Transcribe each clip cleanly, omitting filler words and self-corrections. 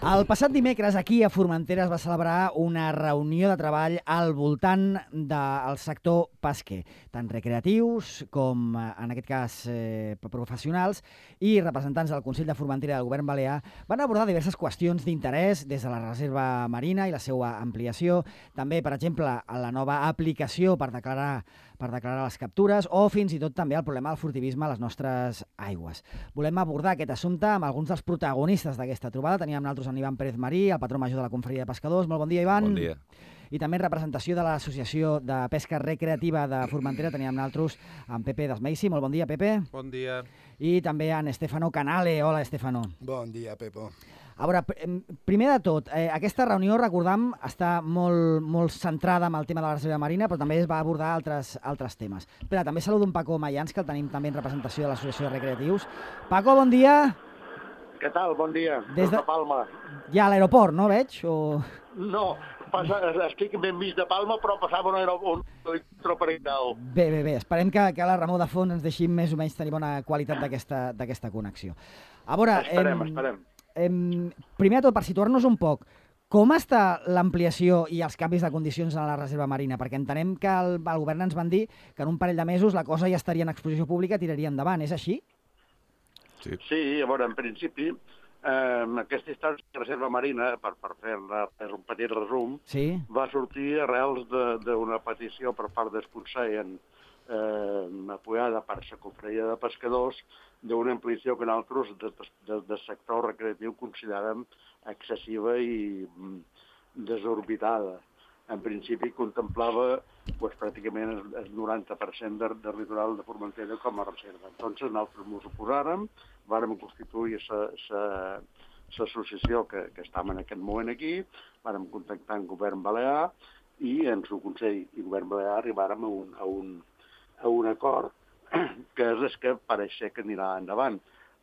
El passat dimecres aquí a Formentera es va celebrar una reunió de treball al voltant del sector pesquer, tant recreatius com, en aquest cas, professionals, i representants del Consell de Formentera i del Govern Balear van abordar diverses qüestions d'interès des de la reserva marina i la seva ampliació, també, per exemple, la nova aplicació per declarar les captures o fins i tot també el problema del furtivisme a les nostres aigües. Volem abordar aquest assumpte amb alguns dels protagonistes d'aquesta trobada. Teníem amb nosaltres en Ivan Pérez Marí, el patró major de la Confraria de Pescadors. Molt bon dia, Ivan. Bon dia. I també en representació de l'Associació de Pesca Recreativa de Formentera teníem amb nosaltres en Pepe Desmeisi. Molt bon dia, Pepe. Bon dia. I també en Estefano Canale. Hola, Estefano. Bon dia, Pepo. A veure, primer de tot, aquesta reunió, recordam, està molt centrada en el tema de la reserva marina, però també es va abordar altres temes. Espera, també saludo en Paco Mayans, que el tenim també en representació de l'Associació de Recreatius. Paco, bon dia. Què tal? Bon dia. Des de Palma. Ja a l'aeroport, no veig? O... No, estic ben vist de Palma, però passava un troperidal. Bé. Esperem que a la remor de fons ens deixin més o menys tenir bona qualitat d'aquesta connexió. A veure, Esperem. Primer de tot, per situar-nos un poc, com està l'ampliació i els canvis de condicions en la reserva marina? Perquè entenem que el govern ens van dir que en un parell de mesos la cosa ja estaria en exposició pública i tiraria endavant. És així? Sí, a veure, en principi, aquesta història de reserva marina, per fer un petit resum, sí, va sortir arrels d'una petició per part del Consell apoyada per la Confraria de Pescadors d'una ampliació que nosaltres del sector recreatiu considerem excessiva i desorbitada. En principi contemplava pràcticament el 90% del litoral de Formentera com a reserva. Entonces nosaltres ens oposàrem, vàrem constituir l'associació que estem en aquest moment aquí, vàrem contactar amb el govern balear i en el Consell i el govern balear arribàrem a un acord que és el que pareix ser que anirà endavant.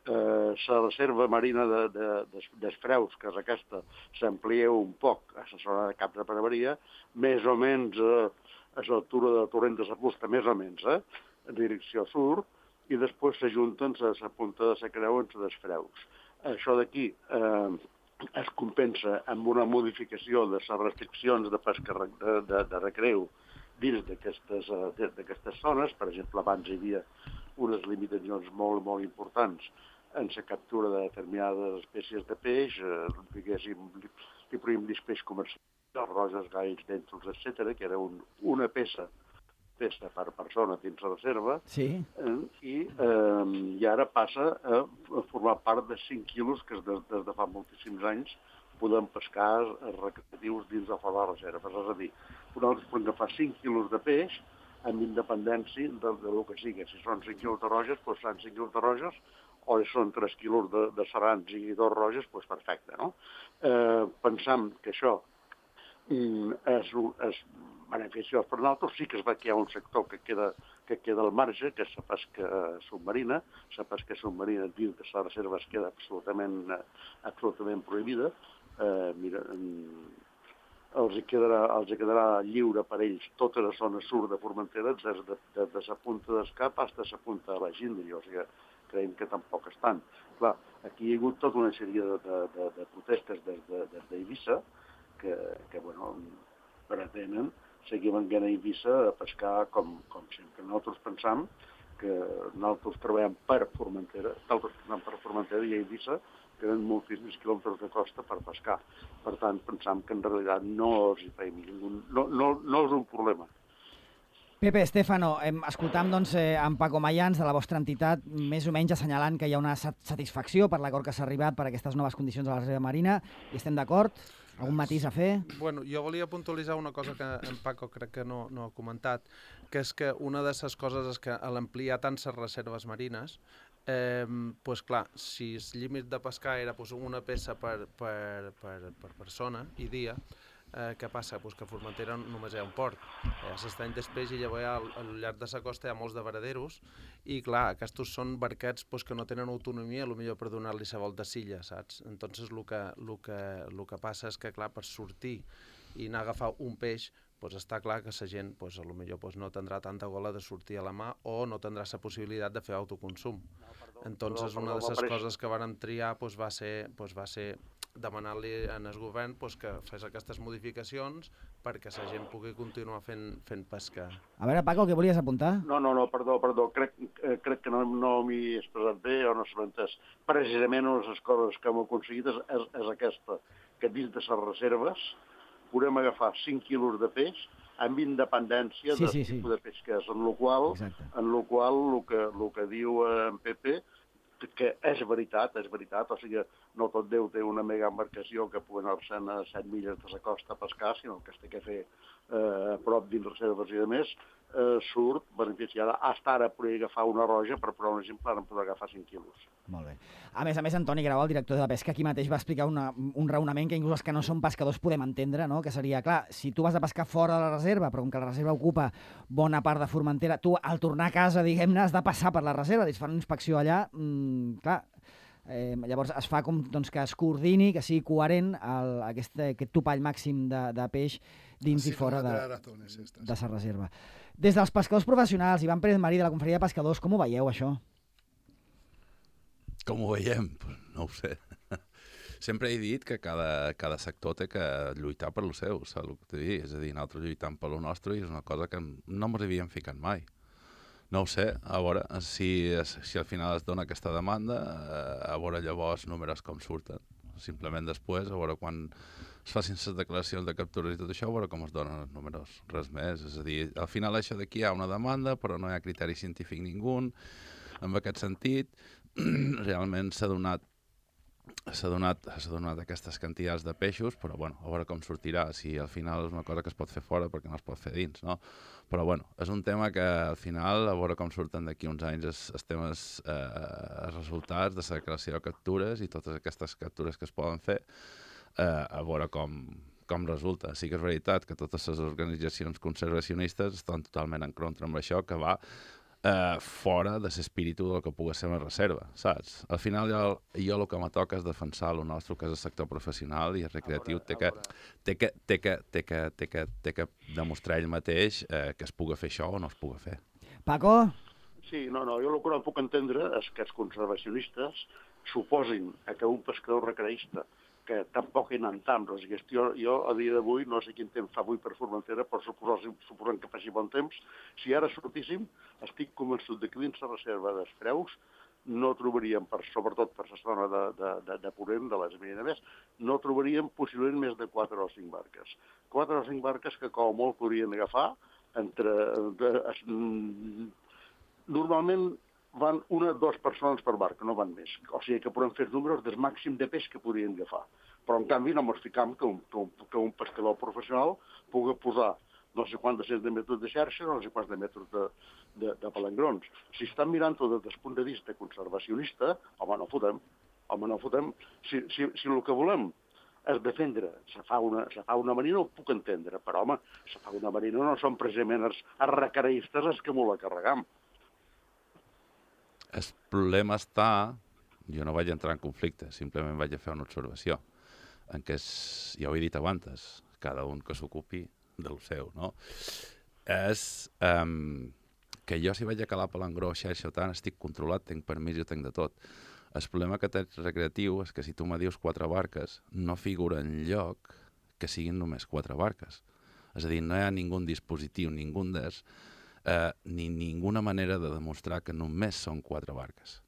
La reserva marina dels Freus, que és aquesta, s'amplia un poc a la zona de Cap de Preveria, més o menys a l'altura de Torrent de la Fusta, més o menys, en direcció sud, i després s'ajunten a la punta de la Creu en les Freus. Això d'aquí es compensa amb una modificació de les restriccions de pesca de recreu dins d'aquestes zones. Per exemple, abans hi havia unes limitacions molt importants en la captura de determinades espècies de peix, diguéssim, li podríem dir peix comercial, roges, galls, dèntols, etc., que era una peça per persona dins la reserva, sí. I ara passa a formar part de 5 quilos que des de fa moltíssims anys podem pescar recreatius dins de fora de la reserva. És a dir, nosaltres podem agafar 5 quilos de peix amb independència del que sigui. Si són 5 quilos de roges, doncs seran 5 quilos de roges, o si són 3 quilos de serrans i 2 roges, doncs perfecte, no? Pensam que això és beneficiós per nosaltres. Sí que es va que hi ha un sector que queda al marge, que és la pesca submarina. La pesca submarina dins de la reserva es queda absolutament prohibida. Mira, els quedarà lliure per ells tota la zona sud de Formentera, des de la punta d'Escap fins a la punta de la Gíndria, o sigui, creiem que tampoc estan. Clar, aquí hi ha hagut tota una sèrie de protestes des d'Eivissa que pretenen seguir venint a Eivissa a pescar com sempre. Nosaltres pensam que nosaltres treballem per Formentera, i a Eivissa tenen moltíssims quilòmetres de costa per pescar. Per tant, pensam que en realitat no és un problema. Pepe, Estefano, escoltam doncs, en Paco Mayans de la vostra entitat, més o menys assenyalant que hi ha una satisfacció per l'acord que s'ha arribat per aquestes noves condicions de la reserva marina. Hi estem d'acord? Algun matís a fer? Bueno, jo volia puntualitzar una cosa que en Paco crec que no ha comentat, que és que una de les coses és que a l'ampliar tant les reserves marines, pues clar, si el límit de pescar era una peça per persona i dia, què passa? Pues que a Formentera només hi ha un port. S'estany després i llavors al llarg de la costa hi ha molts de varaderos i clar, aquests són barquets que no tenen autonomia, potser per donar-li la volta a silla, saps? Entonces el que passa és que clar, per sortir i anar a agafar un peix, està clar que la gent potser no tindrà tanta gola de sortir a la mà o no tindrà la possibilitat de fer autoconsum. Entonces una de les coses que vàrem triar va ser demanar-li al govern que fes aquestes modificacions perquè la gent pugui continuar fent pesca. A veure, Paco, què volies apuntar? No, perdó. Crec que no m'hi he expressat bé o no s'ha entès. Precisament una de les coses que hem aconseguit és aquesta, que dins de les reserves podem agafar 5 quilos de peix amb independència del tipus de peix que és, en la qual el que diu en Pepe, que és veritat, o sigui, no tot Déu té una mega embarcació que pugui anar-se a 7 milles de la costa a pescar, sinó que es té que fer a prop dins reserves i de més, surt beneficiada. Hasta ara podria agafar una roja, per posar un exemple, ara en podrà agafar 5 quilos. Molt bé. A més, Antoni Grau, el director de la pesca, aquí mateix va explicar un raonament que inclús els que no som pescadors podem entendre, no? Que seria, clar, si tu vas a pescar fora de la reserva, però com que la reserva ocupa bona part de Formentera, tu al tornar a casa, diguem-ne, has de passar per la reserva, es fa una inspecció allà, clar, llavors es fa com doncs, que es coordini, que sigui coherent aquest topall màxim de peix dins i fora de la reserva. Des dels pescadors professionals, Ivan Pérez Marí, de la Confraria de Pescadors, com ho veieu, això? Com ho veiem? No ho sé. Sempre he dit que cada sector té que lluitar per lo seu, saps el que t'he dit? És a dir, nosaltres lluitant per lo nostre i és una cosa que no ens havíem ficat mai. No ho sé, a veure si al final es dona aquesta demanda, a veure llavors números com surten. Simplement després, a veure quan es facin les declaracions de captures i tot això, a veure com es donen els números, res més. És a dir, al final això d'aquí hi ha una demanda, però no hi ha criteri científic ningú. En aquest sentit, realment s'ha donat aquestes quantitats de peixos, però bueno, a veure com sortirà, si al final és una cosa que es pot fer fora perquè no es pot fer dins, no? Però bueno, és un tema que al final, a veure com surten d'aquí uns anys els temes, els resultats de la creació de captures i totes aquestes captures que es poden fer, a veure com resulta. Sí que és veritat que totes les organitzacions conservacionistes estan totalment en contra amb això, que va fora de l'espíritu del que pugui ser una reserva, saps? Al final jo el que me toca és defensar el nostre, que és el sector professional i el recreatiu, té que demostrar ell mateix que es pugui fer això o no es pugui fer. Paco? Sí, no, jo el que no puc entendre és que els conservacionistes suposin que un pescador recreista que tampoc hi anem tant. Jo a dia d'avui, no sé quin temps fa avui per Formentera, però suposant que faci bon temps, si ara sortíssim, estic convençut que dins la reserva dels Preus no trobaríem, sobretot per la zona de Ponent, de les Mines, no trobaríem possiblement més de 4 o 5 barques. 4 o 5 barques que com molt podrien agafar normalment van 1 o 2 persones per barca, no van més. O sigui que podem fer números del màxim de peix que podrien agafar. Però, en canvi, no ens ficam que un pescador professional pugui posar no sé quants de metres de xarxa, no sé quants de metres de palangrons. Si estan mirant-ho des del punt de vista conservacionista, home, no fotem. Si el que volem és defendre la fauna marina, ho puc entendre, però, home, la fauna marina no són precisament els recreistes els que m'ho la carregam. El problema està, jo no vaig entrar en conflicte, simplement vaig fer una observació, en què, ja ho he dit abans, cada un que s'ocupi del seu, no? És que jo si vaig a calar palangró, xarxa o tant, estic controlat, tinc permís i ho tinc de tot. El problema que tens recreatiu és que si tu me dius 4 barques, no figura enlloc que siguin només 4 barques. És a dir, no hi ha ningú dispositiu, ningú ni ninguna manera de demostrar que només són 4 barques.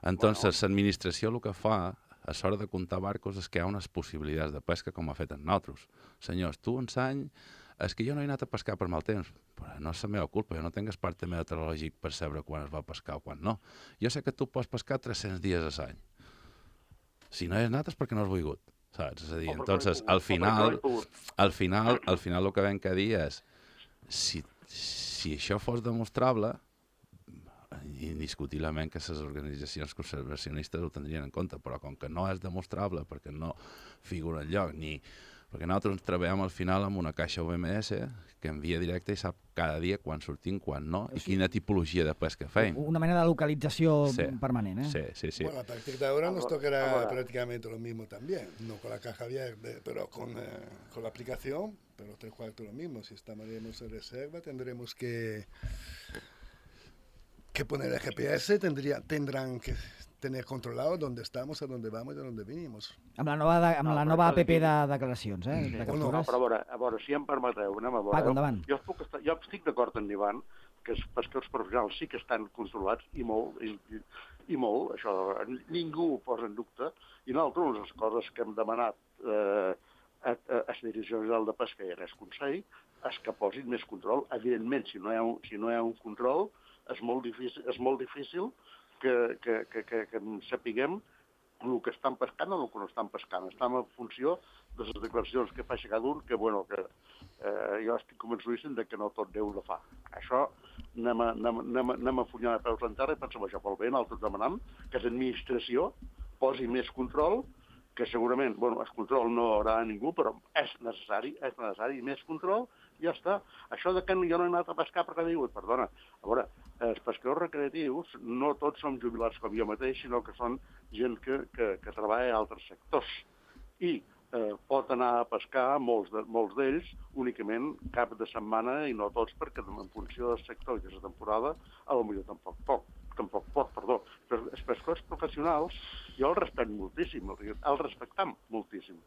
Entonces, l'administració el que fa, a l'hora de comptar barcos, és que hi ha unes possibilitats de pesca com ha fet en nosaltres. Senyors, tu ensany, és que jo no he anat a pescar per mal temps, però no és la meva culpa, jo no tinc el parte meteorològic per saber quan es va pescar o quan no. Jo sé que tu pots pescar 300 dies a l'any. Si no hi has anat és perquè no has volgut, saps? És a dir, entonces, al final el que vam que dir és, si això fos demostrable, indiscutiblement que les organitzacions conservacionistes ho tindrien en compte, però com que no és demostrable perquè no figura enlloc, perquè nosaltres ens treballem al final amb una caixa OMS que envia directe i sap cada dia quan sortim, quan no, i quina tipologia de pesca feim. Una mena de localització permanent, Sí. Bueno, a partir de ahora nos tocará prácticamente lo mismo también, no con la caja abierta, pero con la aplicación, pero 3/4 lo mismo. Si estaremos en reserva, tendremos que que poner el GPS, tendrán que tener controlado dónde estamos, a dónde vamos i de dónde venimos. Amb la nova app de declaracions, de No, captures. però a veure, si em permeteu, anem a veure. Paco, endavant. Jo estic d'acord amb l'Ivan que els pescadors professionals sí que estan controlats i molt, això, ningú ho posa en dubte, i nosaltres, una de les coses que hem demanat a la Direcció General de Pesca i a el Consell és que posin més control. Evidentment, si no hi ha un control, és molt difícil que sapiguem el que estan pescant o el que no estan pescant. Estem en funció de les declaracions que fa cada un, que jo estic convençudíssim que no tot Déu ho fa. Això anem a funyar de peus en terra i pensem això pel bé. Nosaltres demanem que l'administració posi més control, que segurament, el control no haurà ningú, però és necessari més control, i ja està. Això de que jo no he anat a pescar perquè diu, perdona, a veure, els pescadors recreatius no tots som jubilats com jo mateix, sinó que són gent que treballa a altres sectors. I pot anar a pescar, molts d'ells, únicament cap de setmana, i no tots, perquè en funció del sector i de la temporada, potser tampoc pot. Però els pescadors professionals jo els respecto moltíssim, els respectam moltíssim.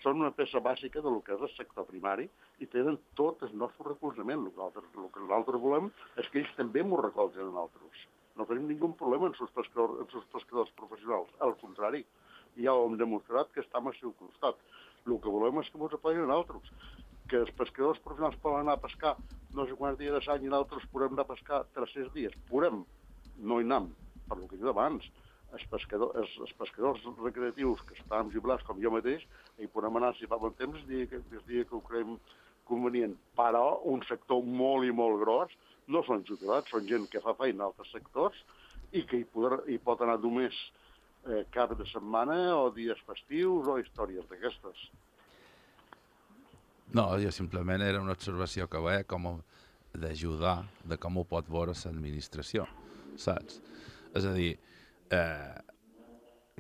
Són una peça bàsica del que és el sector primari i tenen tot el nostre recolzament. El que nosaltres volem és que ells també m'ho recolzen a nosaltres. No tenim ningú problema amb els pescadors professionals. Al contrari, ja ho hem demostrat que estem al seu costat. El que volem és que ens apoyin a nosaltres. Que els pescadors professionals poden anar a pescar no sé quants dies d'any i nosaltres podem anar a pescar 300 dies. Podem, no hi anem, per el que he dit abans. Els pescadors recreatius que estan jubilats com jo mateix, hi podem anar si fa bon temps el dia que ho creiem convenient. Però un sector molt i molt gros no són jubilats, són gent que fa feina a altres sectors i que hi pot anar només cap de setmana o dies festius o històries d'aquestes. No, jo simplement era una observació que veia com d'ajudar de com ho pot veure l'administració, saps? És a dir,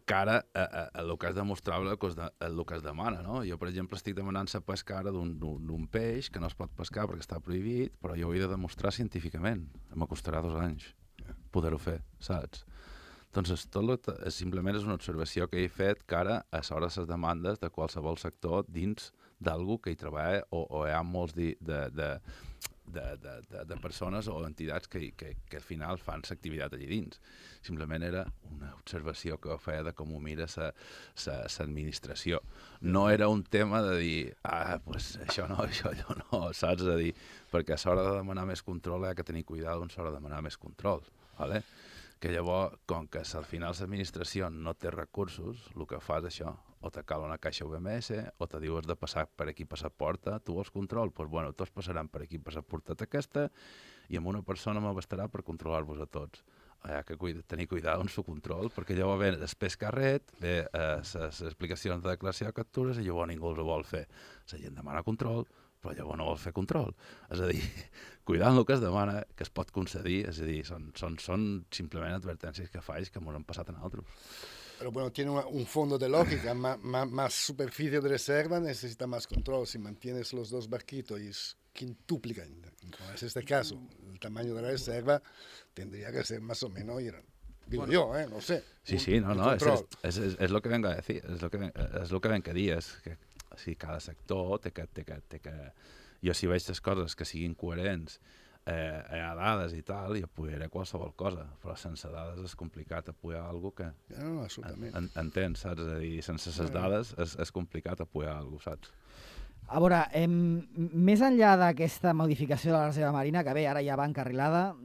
que ara el que has de mostrar el que es demana, no? Jo, per exemple, estic demanant la pesca ara d'un peix que no es pot pescar perquè està prohibit, però jo ho he de demostrar científicament. M'acostarà 2 anys poder-ho fer, saps? Doncs simplement és una observació que he fet que ara a sobre les demandes de qualsevol sector dins d'algú que hi treballa o hi ha molts de persones o entitats que al final fan l'activitat allà dins. Simplement era una observació que feia de com ho mira l'administració. No era un tema de dir, pues això no, això allò no, saps? És a dir, perquè a l'hora de demanar més control hi ha que tenir cuidado a l'hora de demanar més control, ¿vale? Que llavors, com que al final l'administració no té recursos, el que fa és això, o te cal una caixa UMS, o te dius de passar per aquí per la porta, tu vols control? Doncs bueno, tots passaran per aquí per la porta aquesta, i amb una persona m'abastarà per controlar-vos a tots. Hi ha que tenir cuidado amb el control, perquè llavors ve després carret, ve les explicacions de declaració de captures, i llavors ningú els vol fer. La gent demana control, però llavors no vol fer control. És a dir, cuidant el que es demana, que es pot concedir, és a dir, són simplement advertències que faig que ens han passat a nosaltres. Pero bueno, tiene un fondo de lógica, más superficie de reserva necesita más control. Si mantienes los 2 barquitos y quintuplican, como es este caso, el tamaño de la reserva, tendría que ser más o menos, digo yo, no sé. Sí, no, es lo que vengo a decir, es lo que vengo a dir, és que si cada sector té que... Jo si veig les coses que siguin coherents, hi ha dades i tal, i apoyaré qualsevol cosa, però sense dades és complicat apoyar alguna cosa que... No, absolutament. Entens, saps? És a dir, sense les dades és complicat apoyar alguna cosa, saps? A veure, més enllà d'aquesta modificació de la reserva marina, que bé, ara ja va encarrilada,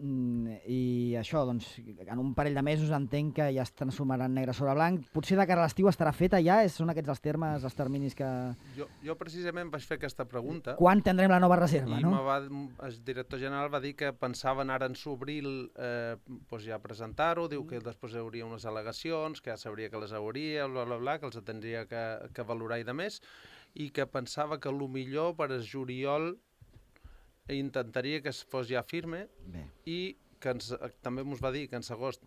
i això, doncs, en un parell de mesos entenc que ja es transformaran negre sobre blanc. Potser de cara a l'estiu estarà feta ja? Són aquests els termes, els terminis que... Jo precisament vaig fer aquesta pregunta. Quan tindrem la nova reserva, no? El director general va dir que pensaven ara en s'obril ja presentar-ho, diu que després hi hauria unes al·legacions, que ja sabria que les hauria, bla, que els tindria que valorar i de més, i que pensava que millor per el juliol intentaria que es fos ja firme i també ens va dir que en agost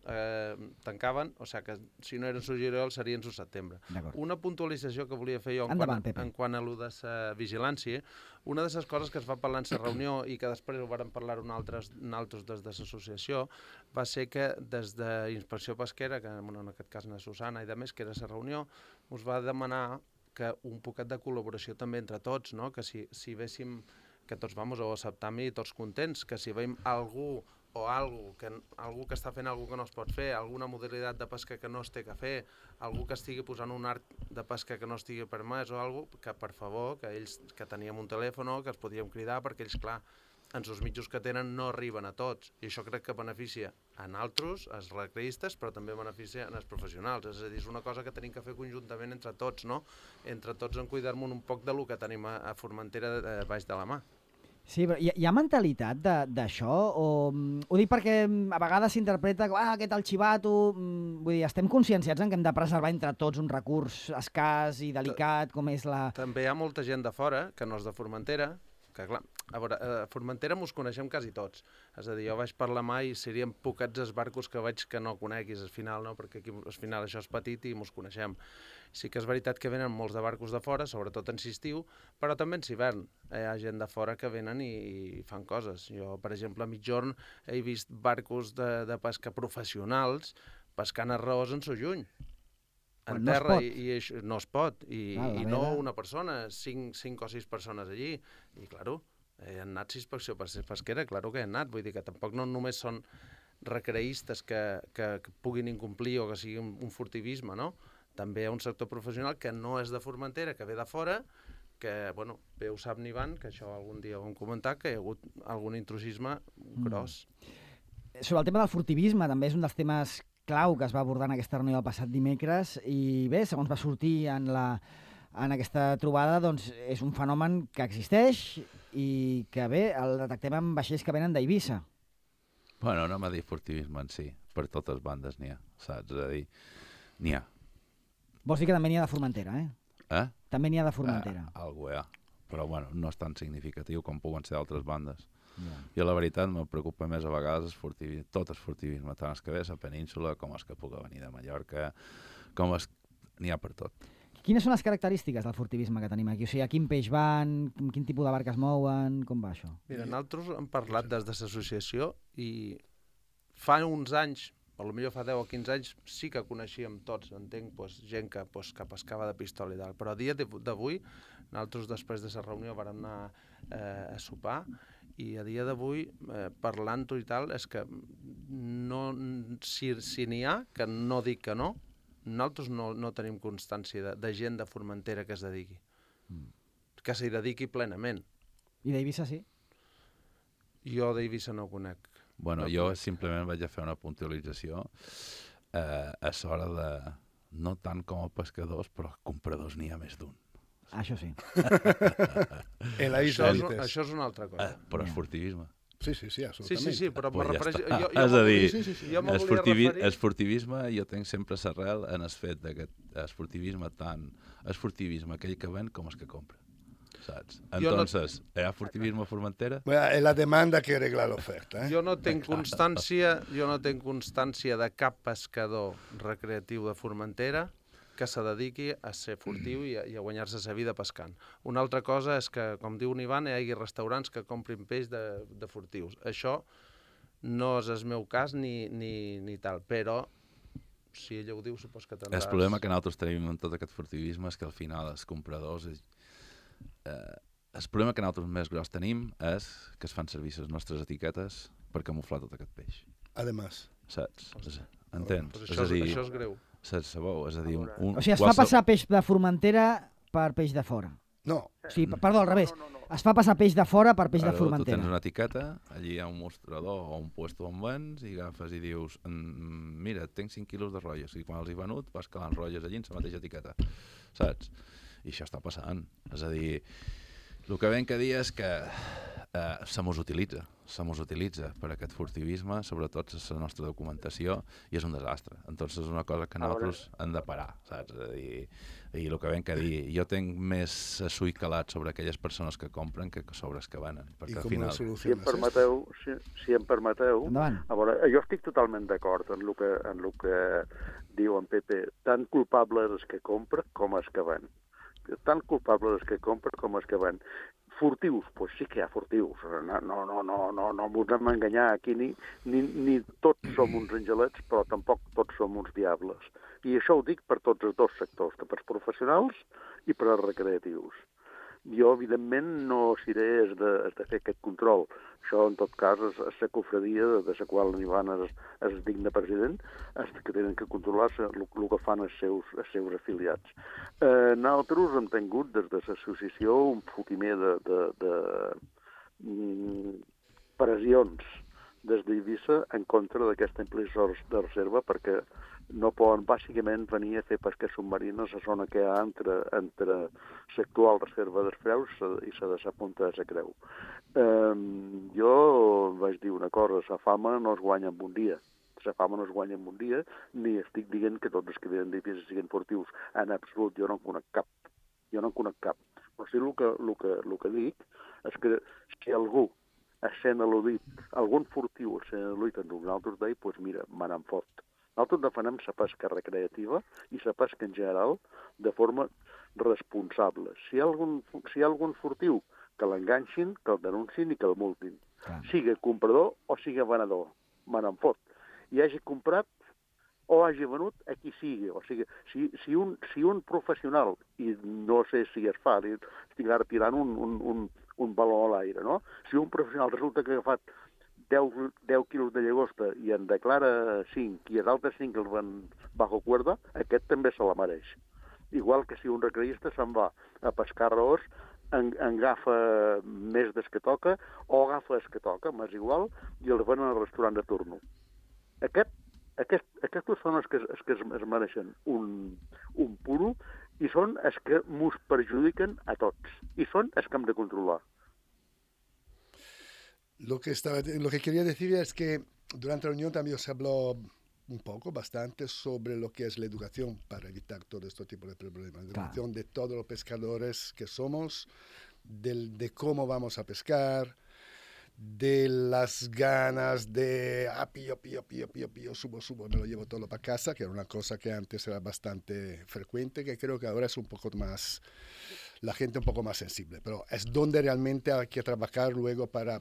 tancaven, o sigui que si no eren su juliol serien su setembre. Una puntualització que volia fer jo en quant a lo de la vigilància, una de les coses que es va parlar en la reunió i que després ho vàrem parlar nosaltres des de l'associació va ser que des d'Inspecció Pesquera, que en aquest cas na Susana i de més, que era la reunió, us va demanar que un poquet de col·laboració també entre tots, no? Que si véssim, que tots vamos a acceptar i tots contents, que si veiem algú o algú que està fent alguna que no es pot fer, alguna modalitat de pesca que no es té que fer, algú que estigui posant un art de pesca que no estigui permès o alguna cosa, que per favor, que ells que teníem un telèfon, que els podíem cridar, perquè ells, clar, en els mitjos que tenen no arriben a tots. I això crec que beneficia a nosaltres, als recreistes, però també beneficia als professionals. És a dir, és una cosa que tenim que fer conjuntament entre tots, no? Entre tots en cuidar-nos un poc del que tenim a Formentera baix de la mà. Sí, però hi ha mentalitat d'això? Ho dic perquè a vegades s'interpreta que aquest el xivato... Vull dir, estem conscienciats en que hem de preservar entre tots un recurs escàs i delicat com és la... També hi ha molta gent de fora, que no és de Formentera, que clar, a veure, a Formentera mos coneixem quasi tots. És a dir, jo vaig per la mà i serien poquets els barcos que veig que no coneguis al final, no? Perquè aquí al final això és petit i mos coneixem. Sí que és veritat que venen molts de barcos de fora, sobretot en estiu, però també en hivern. Hi ha gent de fora que venen i fan coses. Jo, per exemple, a mitjorn he vist barcos de pesca professionals pescant arròs en so juny. En terra, i no es pot, i no una persona, 5 o 6 persones allí, i claro, hi han anat inspecció pesquera, claro que hi han anat, vull dir que tampoc no només són recreistes que puguin incomplir o que sigui un furtivisme, no? També hi ha un sector professional que no és de Formentera, que ve de fora, que, bueno, bé ho sap n'Ivan, que això algun dia ho hem comentat, que hi ha hagut algun intrusisme gros. Sobre el tema del furtivisme, també és un dels temes clau que es va abordar en aquesta reunió del passat dimecres i bé, segons va sortir en aquesta trobada, doncs és un fenomen que existeix i que bé, el detectem en vaixells que venen d'Eivissa. Bueno, no m'ha dit furtivisme en si, per totes bandes n'hi ha, saps? És a dir, n'hi ha. Vols dir que també n'hi ha de Formentera, eh? També n'hi ha de Formentera. Algú hi ha, però bueno, no és tan significatiu com puguen ser d'altres bandes. I la veritat me preocupa més a vegades tot el furtivisme, tant els que ve a la península com els que pugui venir de Mallorca, n'hi ha per tot. Quines són les característiques del furtivisme que tenim aquí? O sigui, a quin peix van, quin tipus de barques mouen, com va això? Mira, nosaltres hem parlat des de l'associació i fa uns anys, potser fa 10 o 15 anys, sí que coneixíem tots, entenc, gent que pescava de pistola i tal, però a dia d'avui, nosaltres després de la reunió vam anar a sopar, i a dia d'avui, parlant-ho i tal, és que si n'hi ha, que no dic que no, nosaltres no tenim constància de gent de Formentera que es dediqui. Que s'hi dediqui plenament. I d'Eivissa sí? Jo d'Eivissa no ho conec. Bueno, jo simplement vaig a fer una puntualització a l'hora de, no tant com a pescadors, però compradors n'hi ha més d'un. Això sí. Això és una altra cosa. Però és furtivisme. Sí, absolutament. Sí, però pues me refereix... És a dir, el furtivisme, jo tenc sempre l'arrel en el fet que el furtivisme tant és furtivisme aquell que ven com el que compra. Saps? Entonces, hi ha furtivisme a Formentera? Es la demanda que regla l'oferta. Jo no tenc constància de cap pescador recreatiu de Formentera que se dediqui a ser furtiu i a guanyar-se la vida pescant. Una altra cosa és que, com diu Ivan, hi hagi restaurants que comprin peix de furtius. Això no és el meu cas ni tal, però si ella ho diu, supos que tindràs... El problema que nosaltres tenim en tot aquest furtivisme és que al final els compradors... el problema que nosaltres més gros tenim és que es fan servir les nostres etiquetes per camuflar tot aquest peix. Además. Saps? Entens? Això és greu. Sabeu, és a dir... O sigui, es fa passar peix de Formentera per peix de fora. No. O sigui, perdó, al revés. Es fa passar peix de fora per peix de Formentera. Tu tens una etiqueta, allí hi ha un mostrador o un puesto on vens i agafes i dius mira, tinc 5 quilos de rotlles, i quan els he venut vas calant rotlles allí en la mateixa etiqueta. Saps? I això està passant. És a dir, el que ven que dir és que se mos utilitza per aquest furtivisme, sobretot la nostra documentació, i és un desastre. Entonces és una cosa que nosaltres hem de parar, saps? I el que vam que dir, jo tinc més sui calat sobre aquelles persones que compren que sobre els que venen. I com ho soluciones? Si em permeteu, Endavant. a veure, jo estic totalment d'acord en el que diu en Pepe. Tan culpable és el que compra com els que ven. Tan culpable és el que compra com els que ven. Furtius, doncs sí que hi ha furtius. No volem enganyar aquí, ni tots som uns angelets, però tampoc tots som uns diables. I això ho dic per tots els dos sectors, per als professionals i per als recreatius. Jo, evidentment, no seré de fer aquest control. Això, en tot cas, és la cofradia de la qual l'Ivan és digne president, que tenen que controlar el que fan els seus afiliats. Nosaltres hem tingut, des de l'associació, un fotimer de pressions des d'Eivissa en contra d'aquesta implicació de reserva, perquè no poden bàsicament venir a fer pesca submarina a la zona que hi ha entre l'actual reserva dels Freus i la de la Punta de la Creu. Jo vaig dir una cosa, la fama no es guanya en un dia. La fama no es guanya en un dia, ni estic dient que tots els que venen d'Eivissa siguin furtius. En absolut, jo no en conec cap. Però sí el que dic és que si algú essent al·ludit, algun furtiu essent al·ludit en nosaltres d'ell, doncs mira, me n'en fot. Nosaltres defenem la pesca recreativa i la pesca en general de forma responsable. Si hi ha algun furtiu, que l'enganxin, que el denuncin i que el multin. Siga comprador o siga venedor, me n'en fot. I hagi comprat o hagi venut a qui sigui. O sigui, si un professional, i no sé si es fa, estic ara tirant un baló a l'aire, no? Si un professional resulta que ha agafat 10 quilos de llagosta i en declara 5 i els altres 5 els van bajo cuerda, aquest també se la mereix. Igual que si un recreista se'n va a pescar raors, agafa més des que toca o agafa els que toca, m'és igual, i els venen al restaurant de turno. Aquests són els que es mereixen un puro i són els que mos perjudiquen a tots. I són els que hem de controlar. Lo que quería decir es que durante la reunión también se habló bastante sobre lo que es la educación para evitar todo este tipo de problemas. La educación de todos los pescadores que somos, de cómo vamos a pescar, de las ganas de pillo, subo, me lo llevo todo para casa, que era una cosa que antes era bastante frecuente, que creo que ahora es un poco más, la gente un poco más sensible, pero es donde realmente hay que trabajar luego para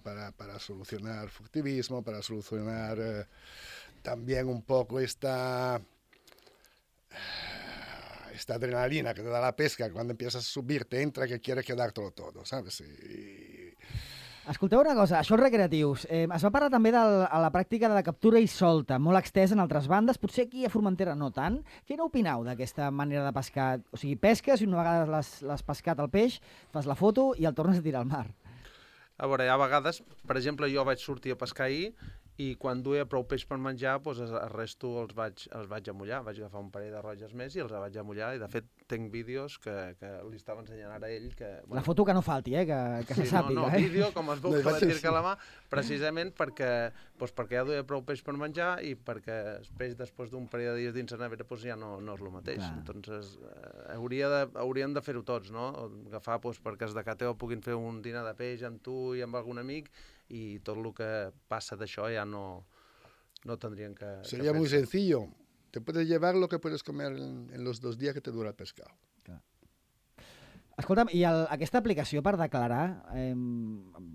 solucionar furtivismo, para solucionar también un poco esta adrenalina que te da la pesca, que cuando empiezas a subir te entra que quiere quedártelo todo, ¿sabes? Escolteu una cosa, això els recreatius. Es va parlar també de la pràctica de la captura i solta, molt extesa en altres bandes, potser aquí a Formentera no tant. Què n'opineu d'aquesta manera de pescar? O sigui, pesques i una vegada l'has pescat el peix, fas la foto i el tornes a tirar al mar. A veure, hi ha vegades, per exemple, jo vaig sortir a pescar ahir i quan duia prou peix per menjar, doncs el resto els vaig amollar. Vaig agafar un parell de rotlles més i els vaig amollar. I, de fet, tinc vídeos que li estava ensenyant ara a ell. Bueno, la foto que no falti, que se sàpiga. Vídeo, com es veu que la tirca a la mà, precisament perquè ja duia prou peix per menjar i perquè el peix, després d'un parell de dies dins la nevera, ja no és el mateix. Entonces, hauríem de fer-ho tots, no? Agafar, perquè els de Cateo puguin fer un dinar de peix amb tu i amb algun amic, y todo lo que pasa de això ya no tendrían que... Sería muy sencillo. Te puedes llevar lo que puedes comer en los 2 días que te dura el pescado. Escolta'm, i aquesta aplicació per declarar,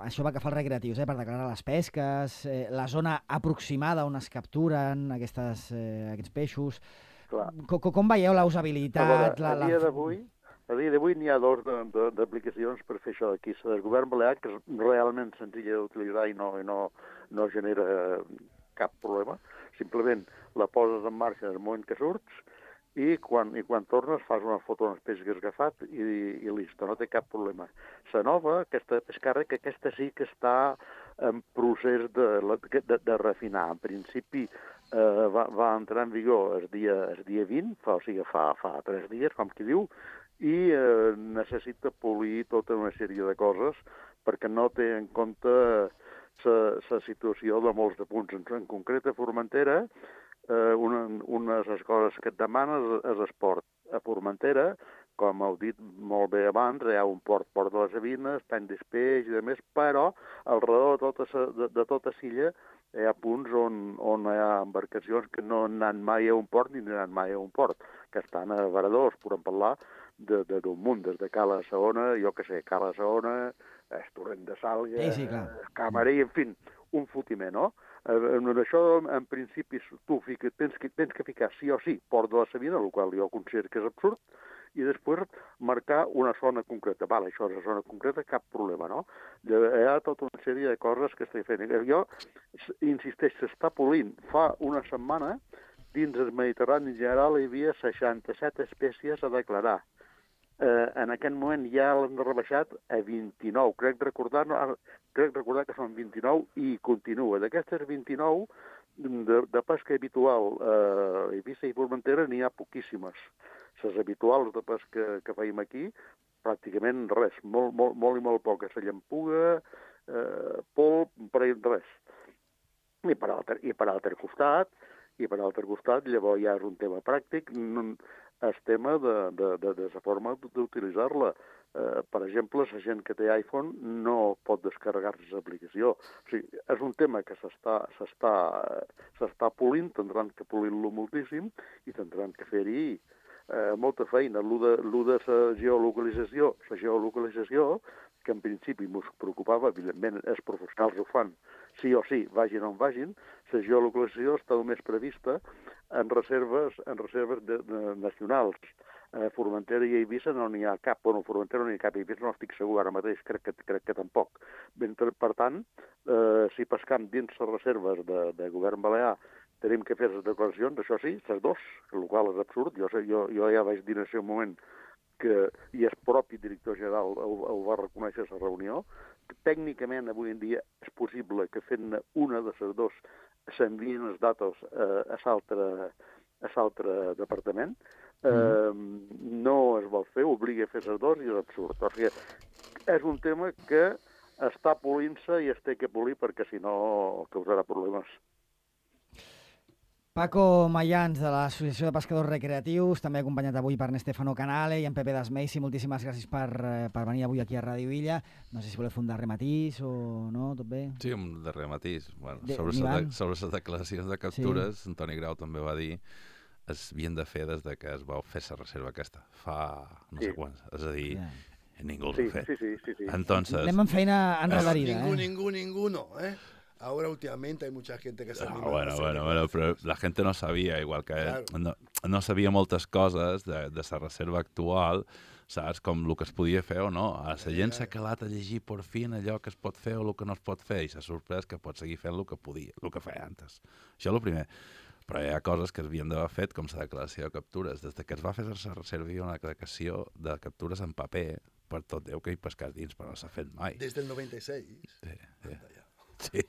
això va que fa els recreatius, per declarar les pesques, la zona aproximada on es capturen aquests peixos, com veieu la usabilitat? A dia d'avui n'hi ha 2 d'aplicacions per fer això aquí. La del govern balear, que és realment senzilla d'utilitzar i no genera cap problema. Simplement la poses en marxa en el moment que surts i quan tornes fas una foto dels peixos que has agafat i listo, no té cap problema. La nova, aquesta pescarra, que aquesta sí que està en procés de refinar. En principi va entrar en vigor el dia 20, o sigui, fa 3 dies, com qui diu, i necessita polir tota una sèrie de coses perquè no té en compte la situació de molts de punts. En concret, a Formentera, una de les coses que et demana és esport. A Formentera, com heu dit molt bé abans, hi ha un port de les Sabines, Pany d'Espeix i demés, però al redor de tota l'illa hi ha punts on hi ha embarcacions que no han anat mai a un port ni han anat mai a un port, que estan a varadors, podem parlar d'un munt, des de Cala Saona, jo que sé, Cala Saona, Torrent de Sàlvia, sí, Camarí, en fi, un fotiment, no? En això, en principi, tu tens que ficar sí o sí Port de la Sabina, el qual jo considero que és absurd, i després marcar una zona concreta. Vale, això és una zona concreta, cap problema, no? Hi ha tota una sèrie de coses que estic fent. Jo, insisteix, s'està polint. Fa una setmana, dins el Mediterrani en general, hi havia 67 espècies a declarar. En aquest moment ja l'han rebaixat a 29. Crec recordar que són 29 i continua. D'aquestes 29, de pesca habitual a Eivissa i Formentera n'hi ha poquíssimes. Les habituals de pesca que feim aquí, pràcticament res, molt i molt poques. La llampuga, polp, res. I per altre costat, llavors ja és un tema pràctic, el tema de la forma d'utilitzar-la. Per exemple, la gent que té iPhone no pot descarregar-se l'aplicació. O sigui, és un tema que s'està polint, tindran que polir-lo moltíssim i tindran que fer-hi molta feina. Lo de la geolocalització, que en principi ens preocupava, evidentment els professionals ho fan, sí o sí, vagin on vagin, la geolocalització està només prevista en reserves nacionals. A Formentera i a Eivissa no n'hi ha cap. Bueno, a Formentera no n'hi ha cap, a Eivissa no estic segur ara mateix, crec que tampoc. Per tant, si pescam dins les reserves de govern balear tenim que fer les declaracions, això sí, les dos, el qual és absurd. Jo ja vaig dir en aquest moment que, i el propi director general ho va reconèixer a la reunió, que tècnicament avui en dia és possible que fent una de les dos s'envien els datos a l'altre departament. No es vol fer, obliga a fer les dos i és absurd. O sigui, és un tema que està polint-se i es té que polir perquè si no causarà problemes. Paco Mayans, de l'Associació de Pescadors Recreatius, també acompanyat avui per Stefano Canale i en Pepe Dasmeisi. Moltíssimes gràcies per venir avui aquí a Ràdio Illa. No sé si voleu fer un darrer matís o no, tot bé? Sí, un darrer matís. Bueno, sobre les declaracions de captures, sí. Antoni Grau també va dir es havien de fer des de que es va fer la reserva aquesta, fa no sé quants. És a dir, ningú els ha fet. Sí. Entonces, anem amb feina enredarida. Ningú no, Ahora últimamente hay mucha gente que se anima. Bueno, pero la gente no sabia, igual que claro. no sabia moltes coses de la reserva actual, saps? Com el que es podia fer o no. La gent s'ha calat a llegir per fi allò que es pot fer o el que no es pot fer i s'ha sorprès que pot seguir fent el que feia antes. Això és el primer. Però hi ha coses que havien d'haver fet, com la declaració de captures. Des que es va fer la reserva hi ha una declaració de captures en paper per tot Déu que hi pescar dins, però no s'ha fet mai. Des del 96? Sí. Sí.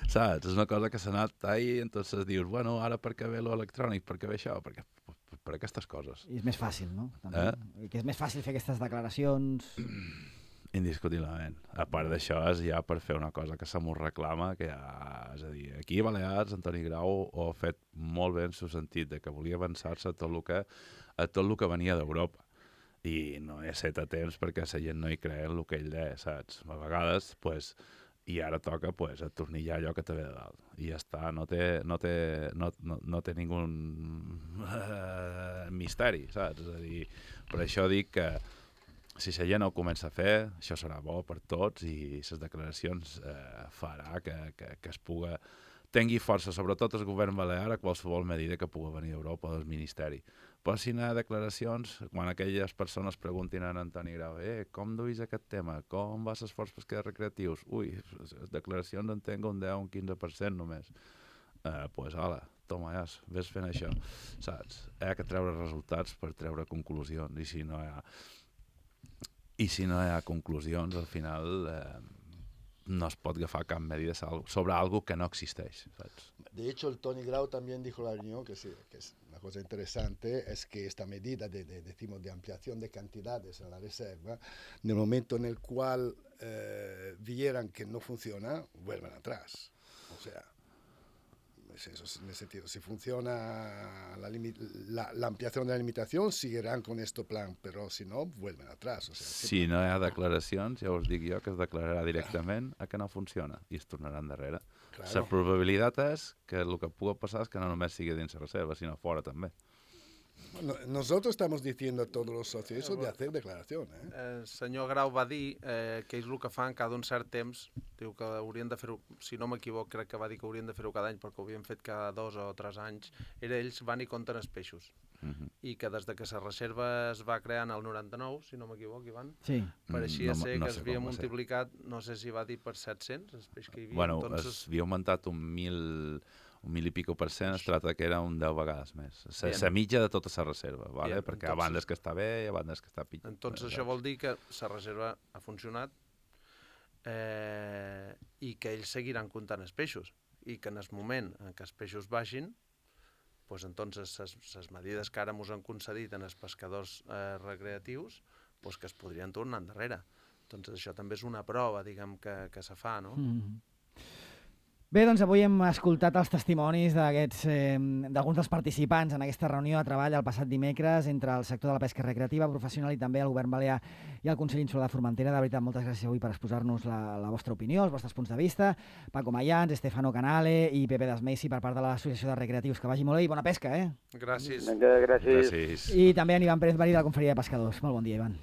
Saps? És una cosa que s'ha anat ahí, entonces dius, bueno, ara per què ve l'electrònic, per què ve això? Per aquestes coses. I és més fàcil, no? També. Que és més fàcil fer aquestes declaracions. Indiscutiblement. A part d'això, és ja per fer una cosa que se m'ho reclama, que és a dir, aquí a Balears, Antoni Grau ho ha fet molt bé en el sentit de que volia avançar-se a tot el que venia d'Europa. I no he set a temps perquè la gent no hi creu en el que ell deia, saps? A vegades, pues, i ara toca pues, atornillar allò que te ve de dalt. I ja està, no té ningú misteri, saps? És a dir, per això dic que si la gent ho comença a fer, això serà bo per tots i les declaracions farà que es puga tingui força, sobretot el govern balear, a qualsevol medida que pugui venir d'Europa o del Ministeri. Pot signar declaracions, quan aquelles persones preguntin a Antoni Grau com duis aquest tema, com vas esforç pescadors recreatius? Ui, les declaracions en tengo un 10 o un 15% només. Pues ala, toma ja, ves fent això, saps? Hi ha que treure resultats per treure conclusions, i si no hi ha conclusions, al final no es pot agafar cap medida sobre algo que no existeix, saps? De hecho, el Tony Grau también dijo en la reunión que sí, que es una cosa interesante es que esta medida decimos, de ampliación de cantidades en la reserva, en el momento en el cual vieran que no funciona, vuelven atrás. O sea, en ese sentido, si funciona la ampliación de la limitación, seguirán con este plan, però si no, vuelven atrás. O sea, si no hi ha declaracions, ja us dic jo que es declararà directament a que no funciona i es tornarà endarrere. Claro. La probabilitat és que el que pugui passar és que no només sigui dins la reserva, sinó fora també. Bueno, nosotros estamos diciendo a todos los socios eso de hacer declaración. El senyor Grau va dir que ells el que fan cada un cert temps, diu que haurien de fer-ho, si no m'equivoc, crec que va dir que haurien de fer-ho cada any perquè ho havien fet cada 2 o 3 anys, ells van i compten els peixos. I que des de que la reserva es va crear en el 99, si no m'equivoc, Ivan, Sí. pareixia ser no que sé es havia com va ser. multiplicat, no sé si va dir per 700, els peixos que hi havia. Bueno, entonces... es havia augmentat un mil i pico %, es tracta que era un 10 vegades més. La mitja de tota la reserva, ¿vale? Bien, Perquè a bandes que està bé i a bandes que està pitjor. Entonces això vol dir que la reserva ha funcionat i que ells seguiran comptant els peixos i que en el moment en què els peixos baixin, pues entonces les medides que ara ens han concedit en els pescadors recreatius, pues que es podrien tornar endarrere. Entonces això també és una prova, diguem, que se fa, no? Bé, doncs avui hem escoltat els testimonis d'alguns dels participants en aquesta reunió de treball el passat dimecres entre el sector de la pesca recreativa professional i també el Govern Balear i el Consell Insular de Formentera. De veritat, moltes gràcies avui per exposar-nos la vostra opinió, els vostres punts de vista. Paco Mayans, Estefano Canale i Pepe Desmesi per part de l'Associació de Recreatius. Que vagi molt bé i bona pesca, eh? Gràcies. Vinga, gràcies. Gràcies. I també en Ivan Pérez Marí de la Confraria de Pescadors. Molt bon dia, Ivan.